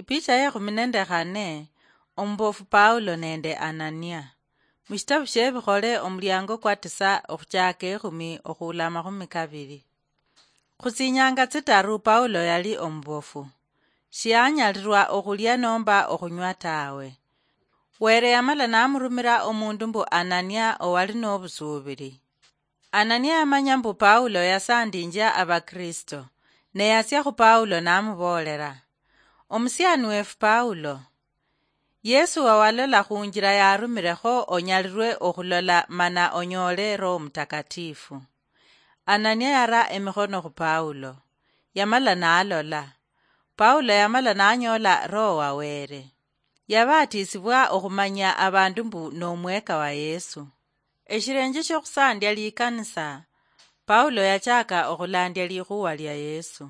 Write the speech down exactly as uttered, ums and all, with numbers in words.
Ipicha yekhumi nende khane, omubofu Paulo nende Anania. Mushitabu shiebikhole omuliango kwa tisa okhuchaka ekhumi okhuula amakhumi kabili. Khutsinyanga tsitaru Paulo yali omubofu. Shianyalirwa okhulia nomba okhunywa tawe. Were yamala namurumira omundu mbu Anania owali nobusuubili. Anania yamanya mbu Paulo yasandinjia Abakristo, ne yatsia khu Paulo namuboolera, "Omusiani wefu Paulo, Yesu wawalola khunjira yarumirekho onyalirwe okhulola mana onyoole Roho Mutakatifu." Anania yara emikhono khu Paulo, yamala nalola. Paulo yamala nanyoola Roho wa Were. Yabatisibwa okhumanya abandu mbu nomweka wa Yesu. Eshirenje shiokhusandya likanisa, Paulo yachaka okhulandya likhuwa lia Yesu.